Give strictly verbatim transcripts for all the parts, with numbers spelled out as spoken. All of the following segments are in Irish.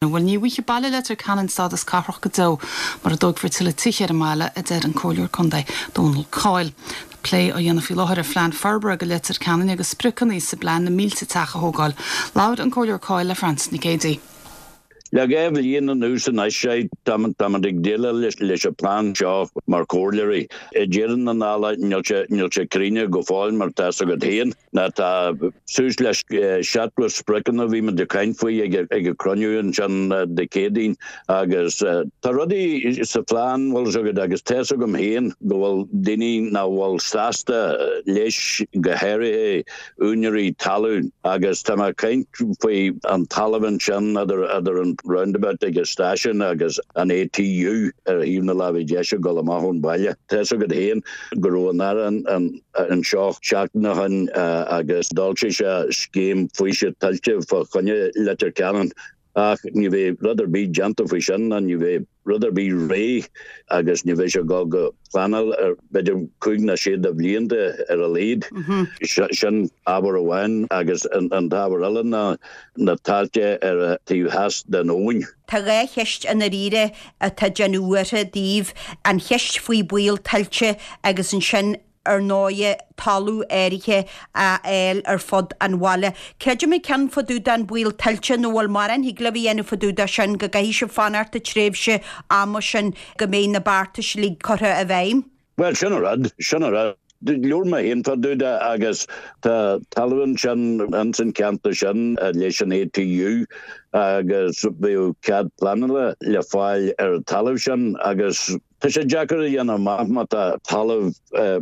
Bhuel ní bhfaighidh baile Leitir Ceanainn stádas cathrach go deo mura dtógfar tuilleadh tithe ar an mbaile a deir an Comhairleoir Contae Dónal Coyle. Plé á dhéanamh faoi láthair ar phlean forbartha do Leitir Ceanainn agus spriocanna sa bplean na mílte teach a thógáil. Labhair an Comhairleoir Coyle le Frances Nic Géadaigh. Le dhá bhliain anuas anois sé tá ag déileáil leis an bplean seo mar chomhairleoirí. I ndeireadh na dála níl sé críochnaithe go fóill mar tá agat féin ná tá suas le seachtó spriocanna bhí muid ag caint faoi ag ag an gcruinniú ansin Dé Céadaoin agus tá rudaí sa phlean bhfuil agad agus tá agam féin go bhfuil daoine nach bhfuil sásta leis go háirithe úinéirí talún agus tá mé ag caint faoi an talamh ansin idir idir an roundabout ag an stáisiún agus an ATU ar thaobh na láimhe deise ag dul amach ón baile. Tá agad féin go raibh an Aire anseo seachtain ó shin agus d'fhoilsigh sé scéim faoiseamh tuilte fá choinne Leitir Ceanainn ach ní bheidh rud ar bith déanta faoi sin ná ní bheidh rud ar bith réidh agus ní bheidh sé go go pleanáil ar b'fhéidir cúig nó sé de bhlianta ar a laghad. Sin ábhar amháin agus an t-ábhar eile ná na tailte ar a taobh theas den abhainn. Tá dhá cheist i ndáiríre atá déanamh buartha daoibh an cheist faoi baol tuilte agus ansin ar ndóigh talamh áirithe a fháil ar fud an bhaile. Creidim an ceann fá dtaobh den baol tuilte nó bhfuil mórán thig libh a dhéanamh fá dtaobh de sin go gcaithfidh sibh fanacht an tréimhse ama sin go mbeidh na beartais uilig curtha i bhfeidhm. Well sin an rud sin an rud. Labhair mé féin fá dtaobh de agus tá talamh ansin ins an ceantar sin leis an ATU agus bheadh cead pleanála le fáil ar an talamh sin agus Tá sé deacair a dhéanamh amach má tá talamh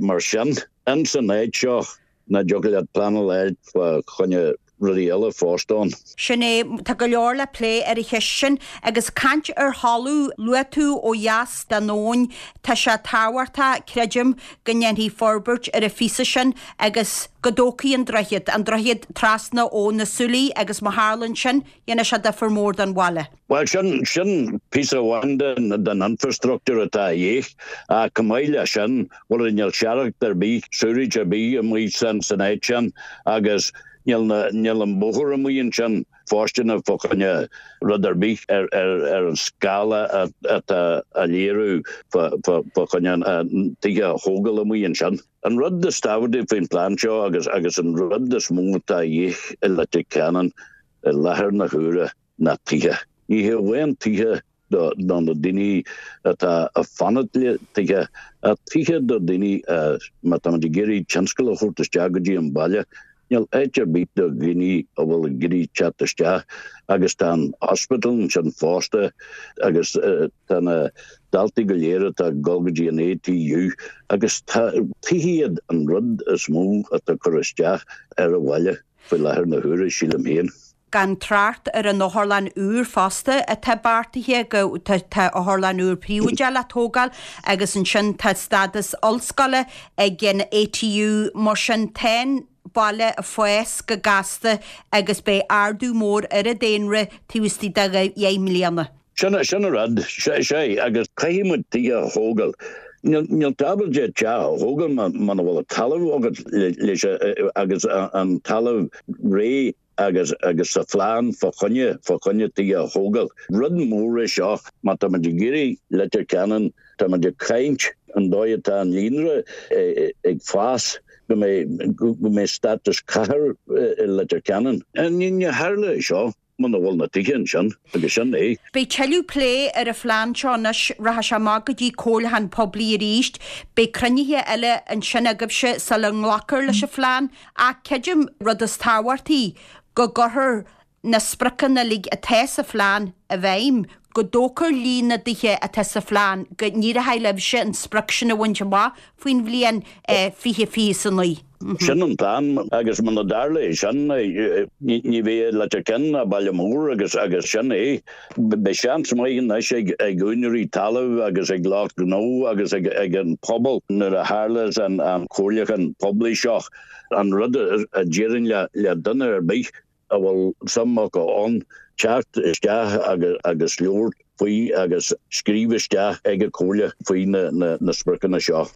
mar sin in san áit seo nach dtiocfadh leat pleanáil fá choinne rudaí eile fosta ann. Sin é tá go leor le plé ar an cheist sin agus caint ar thalamh luaigh tú ó dheas den abhainn tá sé tábhachtach creidim go ndéanfaí forbairt ar an phíosa sin agus go dtógfaí an droichead, an droichead trasna ó na Súilí agus má tharlaíonn sin dhéanfaidh sé difear mór don bhaile. Well sin sin píosa amháin den den infrastructure atá de dhíth ach chomh maith leis sin bhuel níl searracht ar bith sewerage ar bith amuigh san san áit sin agus níl na níl an bóthar amuigh ansin fóirsteanach fá choinne rud ar bith ar ar ar an scála atá á léiriú fá choinne an tithe a thógáil amuigh ansin. An rud is tábhachtaí faoin plean seo agus agus an rud is mó atá de dhíth i Leitir Ceanainn i láthair na huaire ná tithe. Ní hé amháin tithe do do na daoine atá ag fanacht le tithe ach tithe do daoine má tá ag iarraidh tionscal a thabhairt isteach go dtí an baile. Níl áit ar bith do dhaoine a bhfuil ag iarraidh teacht isteach agus tá an hospital ansin fosta agus tá na daltaí go léir atá ag dul go dtí an ATU agus tá tithe iad an rud is mó atá ag cur isteach ar an bhaile faoi láthair na huaire sílim féin. Gan trácht ar an otharlann úr fosta atá beartaithe go tá otharlann úr príobháideach le tógáil agus ansin tá stádas ollscoile ag an ATU mar sin tá an baile ag fás go gasta agus beidh ardú mór ar an daonra taobh istigh de dheich mbliana. Sin sin an rud sé agus caithfidh muid tithe a thógáil. Níl tú ábalta teach a thógáil muna bhfuil talamh agat leis agus an talamh réidh agus agus sa phlean fá choinne fá choinne tithe a thógáil. Rud mór é seo má tá muid ag iarraidh Leitir Ceanainn tá muid ag caint an dóigh atá an líonra ag fás go mbeidh go mbeidh stádas cathair i Leitir Ceanainn. Ní ní tharlóidh seo muna bhfuil na tithe ansin agus sin é. Beidh tuilleadh plé ar an phlean seo anois rachaidh sé amach go dtí comhairliúchán poiblí arís, beidh cruinnithe eile ansin agaibhse sula nglacfar leis an phlean ach creidim rud is tábhachtaí go gcuirfear na spriocanna uilig atá sa phlean i bhfeidhm, go dtógfar líon na dtithe atá sa phlean, go n-éireoidh libhse an sprioc sin a bhaint amach faoin bhliain fiche fiche a naoi. Sin an plean agus muna dtarlaíonn sin ní bheidh Leitir Ceanainn ach baile mór agus agus sin é. Beidh seans maith anois ag ag úinéirí talaimh agus ag lucht gnó agus ag ag an pobal nuair a tharlas an an comhairliúchán poiblí seo an rud a déarfainn le le duine ar bith a bhfuil suim acu ann teacht isteach agus agus labhairt faoi agus scríobh isteach ag an comhairle faoi na na na spriocanna seo.